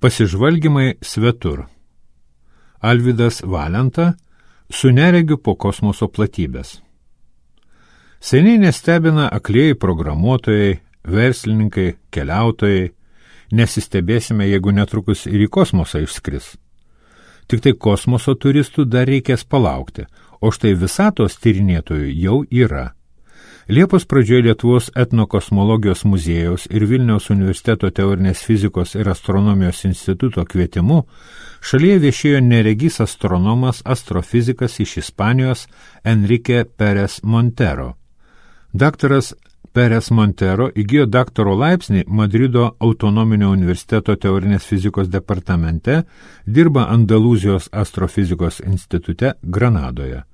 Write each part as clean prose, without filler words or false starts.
Pasižvalgymai svetur. Alvydas Valenta su neregiu po kosmoso platybės. Seniai nestebina aklieji programuotojai, verslininkai, keliautojai. Nesistebėsime, jeigu netrukus ir į kosmosą išskris. Tik tai kosmoso turistų dar reikės palaukti, o štai visatos tyrinėtojų jau yra. Liepos pradžioje Lietuvos etnokosmologijos muziejaus ir Vilniaus universiteto teorinės fizikos ir astronomijos instituto kvietimu šalyje viešėjo neregys astronomas, astrofizikas iš Ispanijos Enrique Pérez Montero. Daktaras Pérez Montero įgijo daktaro laipsnį Madrido autonominio universiteto teorinės fizikos departamente, dirba Andalūzijos astrofizikos institute Granadoje.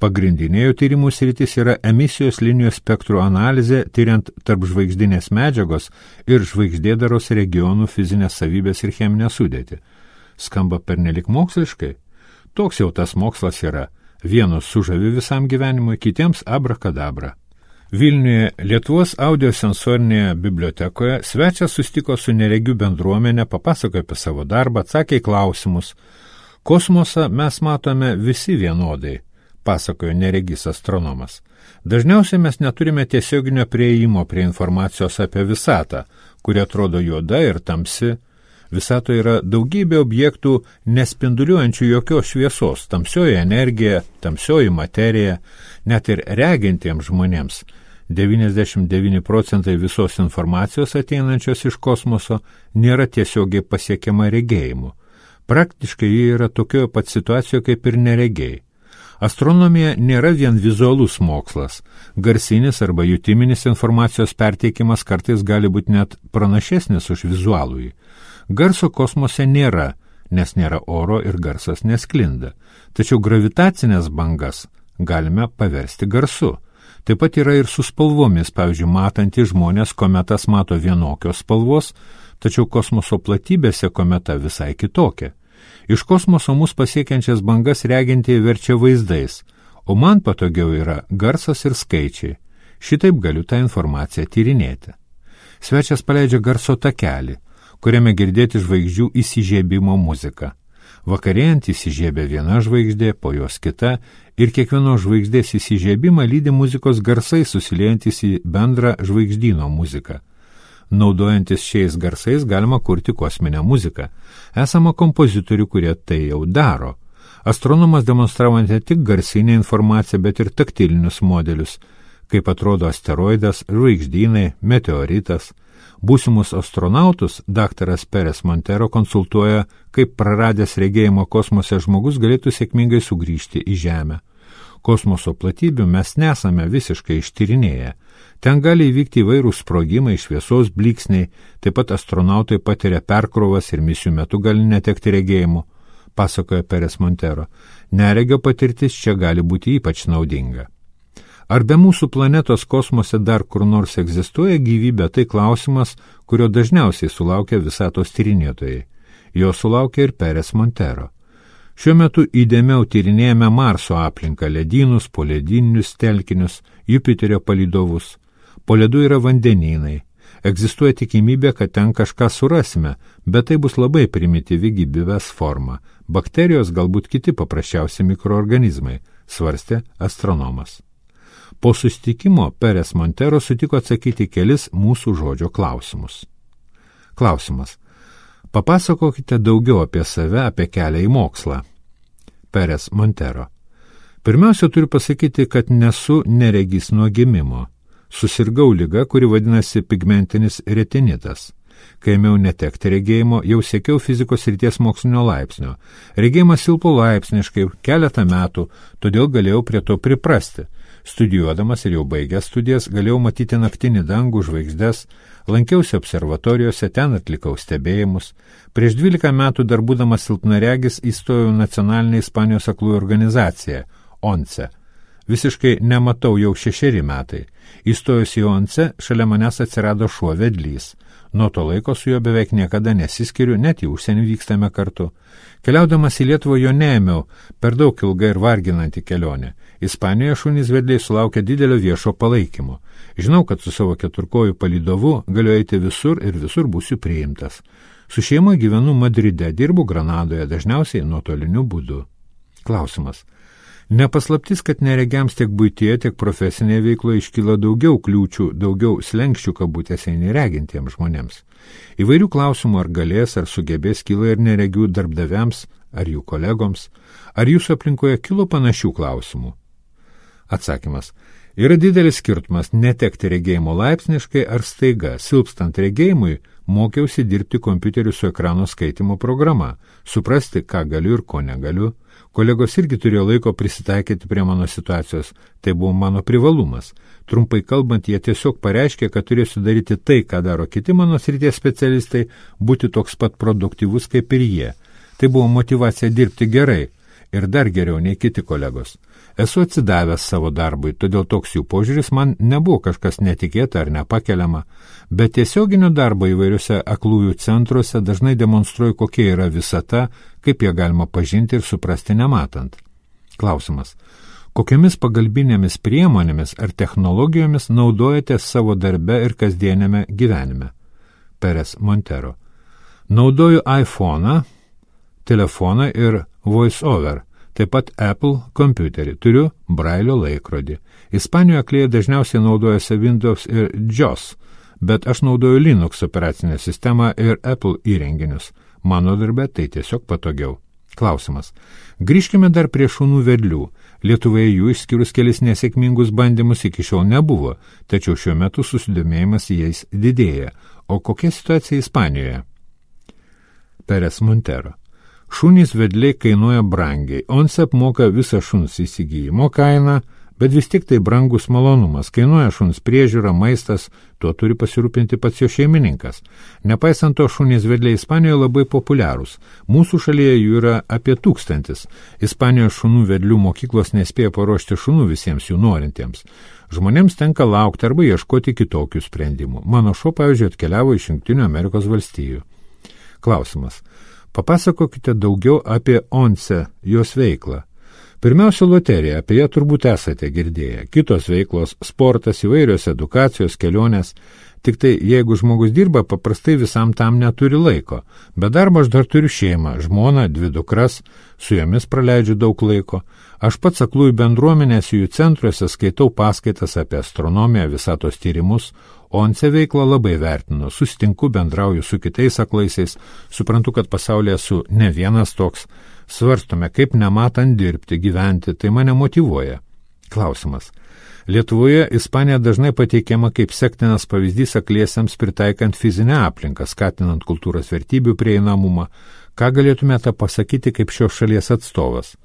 Pagrindinė jo tyrimų sritis yra emisijos linijos spektrų analizė, tyriant tarpžvaigždinės medžiagos ir žvaigždėdaros regionų fizinės savybės ir cheminę sudėtį. Skamba pernelik moksliškai? Toks jau tas mokslas yra. Vienos sužavi visam gyvenimui, kitiems abrakadabra. Vilniuje Lietuvos audiosensorinėje bibliotekoje svečias susitiko su neregių bendruomenė, papasakojo apie savo darbą, atsakė į klausimus. Kosmosą mes matome visi vienodai, pasakojo neregys astronomas. Dažniausiai mes neturime tiesioginio prieimo prie informacijos apie visatą, kuri atrodo juoda ir tamsi. Visatoje yra daugybė objektų nespinduliuojančių jokios šviesos, tamsioji energija, tamsioji materija, net ir regintiems žmonėms. 99% visos informacijos ateinančios iš kosmoso nėra tiesiogiai pasiekiama regėjimu. Praktiškai jie yra tokioje pat situacijoje kaip ir neregiai. Astronomija nėra vien vizualus mokslas. Garsinis arba jutiminis informacijos perteikimas kartais gali būti net pranašesnis už vizualųjį. Garso kosmose nėra, nes nėra oro ir garsas nesklinda. Tačiau gravitacinės bangas galime paversti garsu. Taip pat yra ir su spalvomis, pavyzdžiui, matantys žmonės kometas mato vienokios spalvos, tačiau kosmoso platybėse kometa visai kitokia. Iš kosmoso mus pasiekiančias bangas regintieji verčia vaizdais, o man patogiau yra garsas ir skaičiai. Šitaip galiu tą informaciją tyrinėti. Svečias paleidžia garso takelį, kuriame girdėti žvaigždžių įsižiebimo muzika. Vakarėjant įsižiebia viena žvaigždė, po jos kita, ir kiekvienos žvaigždės įsižiebimą lydi muzikos garsai susiliejantis į bendrą žvaigždyno muziką. Naudojantis šiais garsais galima kurti kosminę muziką. Esama kompozitorių, kurie tai jau daro. Astronomas demonstravo ne tik garsinę informaciją, bet ir taktilinius modelius, kaip atrodo asteroidas, žvaigždynai, meteoritas. Būsimus astronautus daktaras Pérez Montero konsultuoja, kaip praradęs regėjimo kosmose žmogus galėtų sėkmingai sugrįžti į Žemę. Kosmoso platybių mes nesame visiškai ištyrinėję. Ten gali įvykti įvairūs sprogimai, šviesos blyksniai, taip pat astronautai patiria perkrovas ir misijų metu gali netekti regėjimų, pasakoja Pérez Montero. Neregio patirtis čia gali būti ypač naudinga. Ar be mūsų planetos kosmose dar kur nors egzistuoja gyvybė, tai klausimas, kurio dažniausiai sulaukia visatos tyrinėtojai. Jo sulaukia ir Pérez Montero. Šiuo metu įdėmiau tyrinėjame Marso aplinką, ledynus, poledyninius telkinius, Jupiterio palydovus. Po ledu yra vandenynai. Egzistuoja tikimybė, kad ten kažką surasime, bet tai bus labai primityvi gyvybės forma. Bakterijos, galbūt kiti paprasčiausi mikroorganizmai, svarstė astronomas. Po susitikimo Pérez Montero sutiko atsakyti kelis mūsų žodžio klausimus. Klausimas. Papasakokite daugiau apie save, apie kelią į mokslą. Pérez Montero. Pirmiausia, turiu pasakyti, kad nesu neregys nuo gimimo. Susirgau liga, kuri vadinasi pigmentinis retinitas. Kai ėmiau netekti regėjimo, jau siekiau fizikos srities mokslinio laipsnio. Regėjimas silpo laipsniškai keletą metų, todėl galėjau prie to priprasti. Studijuodamas ir jau baigęs studijas galėjau matyti naktinį dangų, žvaigždes, lankiausi observatorijose, ten atlikau stebėjimus. Prieš 12 metų dar būdamas silpnaregis įstojau nacionalinę Ispanijos aklųjų organizaciją, ONCE. Visiškai nematau jau 6 metai. Įstojus į ONCE, šalia manęs atsirado šuo vedlys. Nuo to laiko su juo beveik niekada nesiskiriu, net į užsienį vykstame kartu. Keliaudamas į Lietuvą jo neėmiau, per daug ilga ir varginanti kelionė. Ispanijoje šunys vedliai sulaukia didelio viešo palaikymo. Žinau, kad su savo keturkojų palydovu galiu eiti visur ir visur būsiu priimtas. Su šeima gyvenu Madride, dirbu Granadoje, dažniausiai nuotoliniu būdu. Klausimas. Nepaslaptis, kad neregiams tiek buityje, tiek profesinėje veikloje iškyla daugiau kliūčių, daugiau slenkščių kabutėse neregintiems žmonėms. Įvairių klausimų ar galės, ar sugebės kyla ir neregių darbdaviams, ar jų kolegoms, ar jūsų aplinkoje kilo panašių klausimų. Atsakymas. Yra didelis skirtumas netekti regėjimo laipsniškai ar staiga. Silpstant regėjimui, mokiausi dirbti kompiuteriu su ekrano skaitimo programa, suprasti, ką galiu ir ko negaliu. Kolegos irgi turėjo laiko prisitaikyti prie mano situacijos, tai buvo mano privalumas. Trumpai kalbant, jie tiesiog pareiškė, kad turėsiu daryti tai, ką daro kiti mano srities specialistai, būti toks pat produktyvus kaip ir jie. Tai buvo motyvacija dirbti gerai ir dar geriau nei kiti kolegos. Esu atsidavęs savo darbui, todėl toks jų požiūris man nebuvo kažkas netikėta ar nepakeliama, bet tiesioginio darbo įvairiuose aklųjų centruose dažnai demonstruoju, kokia yra visata, kaip ją galima pažinti ir suprasti nematant. Klausimas. Kokiamis pagalbinėmis priemonėmis ar technologijomis naudojatės savo darbe ir kasdienėme gyvenime? Perez Montero. Naudoju iPhone'ą, telefoną ir VoiceOver. Taip pat Apple kompiuterį. Turiu Brailio laikrodį. Ispanijoje aklieji dažniausiai naudojasi Windows ir JOS, bet aš naudoju Linux operacinę sistemą ir Apple įrenginius. Mano darbe tai tiesiog patogiau. Klausimas. Grįžkime dar prie šunų vedlių. Lietuvoje jų išskyrus kelis nesėkmingus bandymus iki šiol nebuvo, tačiau šiuo metu susidomėjimas jais didėja. O kokia situacija Ispanijoje? Perez Montero. Šunys vedliai kainuoja brangiai. ONCE apmoka visą šuns įsigijimo kainą, bet vis tik tai brangus malonumas. Kainuoja šuns priežiūra, maistas, tuo turi pasirūpinti pats jo šeimininkas. Nepaisant to, šunys vedliai Ispanijoje labai populiarūs. Mūsų šalyje jų yra apie 1000. Ispanijos šunų vedlių mokyklos nespėja paruošti šunų visiems jų norintiems. Žmonėms tenka laukti arba ieškoti kitokių sprendimų. Mano šuo, pavyzdžiui, atkeliavo iš Jungtinių Amerikos valstijų. Klausimas. Papasakokite daugiau apie ONCE, jos veiklą. Pirmiausia, loterija, apie ją turbūt esate girdėję. Kitos veiklos, sportas, įvairios edukacijos, kelionės. Tik tai, jeigu žmogus dirba, paprastai visam tam neturi laiko. Be darbo aš dar turiu šeimą, žmoną, 2 dukras, su jomis praleidžiu daug laiko. Aš pats aklųjų bendruomenės jų centruose skaitau paskaitas apie astronomiją, visatos tyrimus, ONCE veiklą labai vertinu, susitinku, bendrauju su kitais aklaisiais, suprantu, kad pasaulyje esu ne vienas toks, svarstome, kaip nematant dirbti, gyventi, tai mane motyvuoja. Klausimas. Lietuvoje Ispanija dažnai pateikiama kaip sektinas pavyzdys akliesiems pritaikant fizinę aplinką, skatinant kultūros vertybių prieinamumą. Ką galėtumėte pasakyti kaip šios šalies atstovas?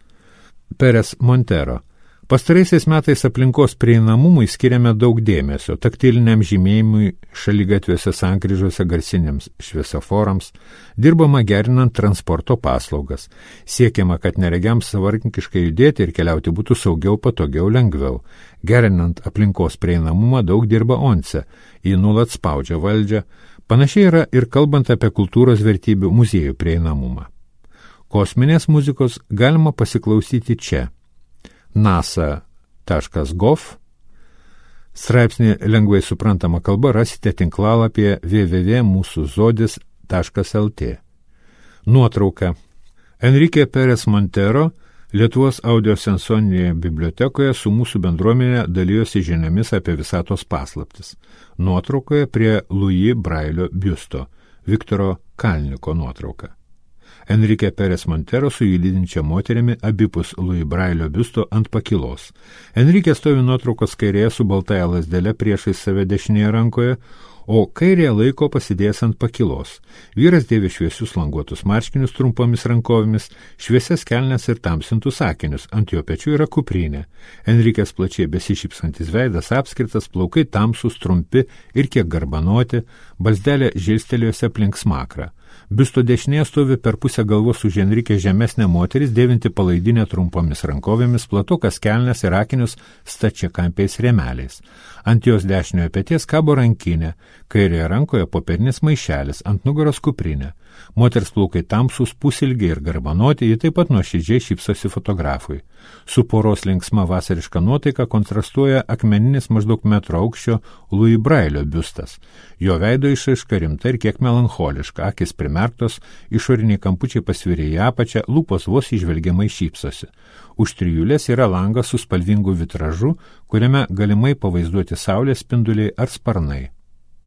Perez Montero. Pastaraisiais metais aplinkos prieinamumui skiriame daug dėmesio, taktiliniam žymėjimui, šaligatviuose sankryžose garsiniams šviesoforams, dirbama gerinant transporto paslaugas, siekiama, kad neregiams savarankiškai judėti ir keliauti būtų saugiau, patogiau, lengviau. Gerinant aplinkos prieinamumą daug dirba ONCE, jį nuolat spaudžia valdžią, panašiai yra ir kalbant apie kultūros vertybių muziejų prieinamumą. Kosminės muzikos galima pasiklausyti čia. nasa.gov. Straipsnį lengvai suprantama kalba rasite tinklalapyje www.musuzodis.lt. Nuotrauka. Enrique Perez Montero Lietuvos audiosensorinėje bibliotekoje su mūsų bendruomenė dalijosi žiniomis apie visatos paslaptis. Nuotraukoje prie Louis Brailio biusto, Viktoro Kalniko nuotrauka. Enrique Perez Montero su jį lydinčia moterimi abipus Louis Brailio biusto ant pakilos. Enrique stovi nuotraukos kairėje su baltąja lazdele priešais save dešinėje rankoje, o kairėje laiko pasidėjęs ant pakilos. Vyras dėvi šviesius languotus marškinius trumpomis rankovėmis, šviesias kelnes ir tamsintus akinius, ant jo pečių yra kuprinė. Enrikės plačiai besišypsantis veidas apskritas, plaukai tamsus, trumpi ir kiek garbanoti, balsdelė žilstelėjusi aplink smakrą. Biusto dešinėje stovi per pusę galvos už Enrikę žemesnė moteris, dėvinti palaidinę trumpomis rankovėmis, platukas kelnes ir akinius stačiakampiais rėmeliais. Ant jos dešiniojo peties kabo rankinė, kairėje rankoje popierinis maišelis, ant nugaros kuprinė. Moters plaukai tamsus, pusilgiai ir garbanoti, ji taip pat nuoširdžiai šypsosi fotografui. Su poros linksma vasariška nuotaika kontrastuoja akmeninis maždaug metro aukščio Louis Brailio biustas. Jo veido išraiška rimta ir kiek melancholiška, akis prie primerktos, išoriniai kampučiai pasvirė į apačią, lūpos vos įžvelgiamai šypsosi. Už trijulės yra langas su spalvingu vitražu, kuriame galimai pavaizduoti saulės spinduliai ar sparnai.